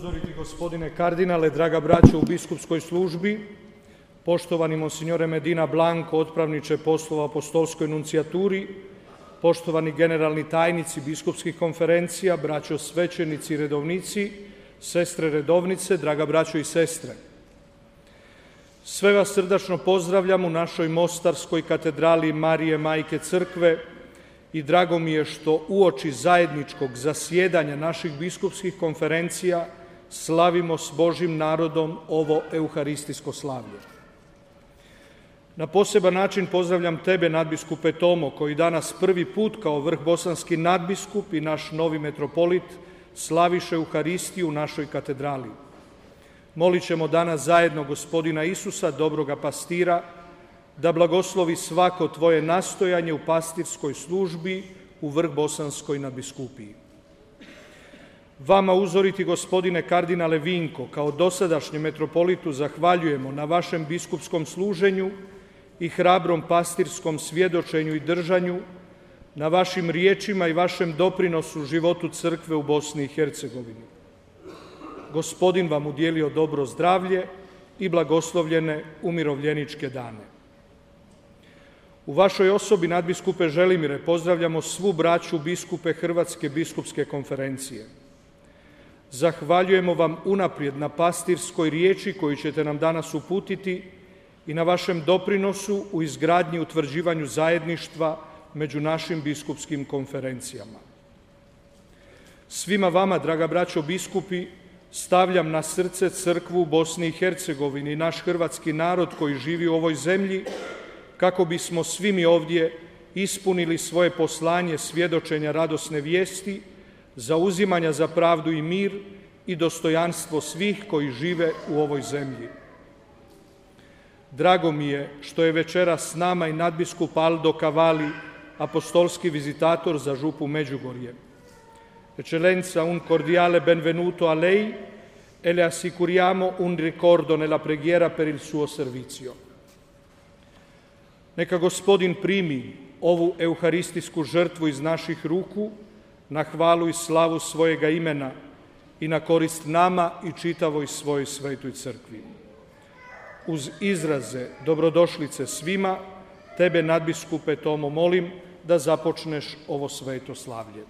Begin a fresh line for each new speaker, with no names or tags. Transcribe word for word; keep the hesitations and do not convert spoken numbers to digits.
Upozoriti gospodine kardinale, draga braćo u biskupskoj službi, poštovani monsignore Medina Blanco, otpravniče poslova apostolskoj nuncijaturi, poštovani generalni tajnici biskupskih konferencija, braćo svećenici i redovnici, sestre redovnice, draga braćo i sestre. Sve vas srdačno pozdravljam u našoj Mostarskoj katedrali Marije Majke Crkve i drago mi je što uoči zajedničkog zasjedanja naših biskupskih konferencija slavimo s Božjim narodom ovo euharistijsko slavlje. Na poseban način pozdravljam tebe, nadbiskupe Tomo, koji danas prvi put kao vrhbosanski nadbiskup i naš novi metropolit slaviše Euharistiju u našoj katedrali. Molit ćemo danas zajedno gospodina Isusa, dobroga pastira, da blagoslovi svako tvoje nastojanje u pastirskoj službi u vrhbosanskoj nadbiskupiji. Vama uzoriti gospodine kardinale Vinko, kao dosadašnjem metropolitu zahvaljujemo na vašem biskupskom služenju i hrabrom pastirskom svjedočenju i držanju, na vašim riječima i vašem doprinosu životu crkve u Bosni i Hercegovini. Gospodin vam udjelio dobro zdravlje i blagoslovljene umirovljeničke dane. U vašoj osobi, nadbiskupe Želimire, pozdravljamo svu braću biskupe Hrvatske biskupske konferencije. Zahvaljujemo vam unaprijed na pastirskoj riječi koju ćete nam danas uputiti i na vašem doprinosu u izgradnji i utvrđivanju zajedništva među našim biskupskim konferencijama. Svima vama, draga braćo biskupi, stavljam na srce crkvu u Bosni i Hercegovini i naš hrvatski narod koji živi u ovoj zemlji, kako bismo svi mi ovdje ispunili svoje poslanje svjedočenja radosne vijesti, zauzimanja za pravdu i mir i dostojanstvo svih koji žive u ovoj zemlji. Drago mi je što je večeras s nama i nadbiskup Aldo Cavalli, apostolski vizitator za župu Međugorje. Eccellenza, un cordiale benvenuto a lei e le assicuriamo un ricordo nella preghiera per il suo servizio. Neka gospodin primi ovu euharistijsku žrtvu iz naših ruku na hvalu i slavu svojega imena i na korist nama i čitavoj svojoj svetoj crkvi. Uz izraze dobrodošlice svima, tebe, nadbiskupe Tomo, molim da započneš ovo sveto slavlje.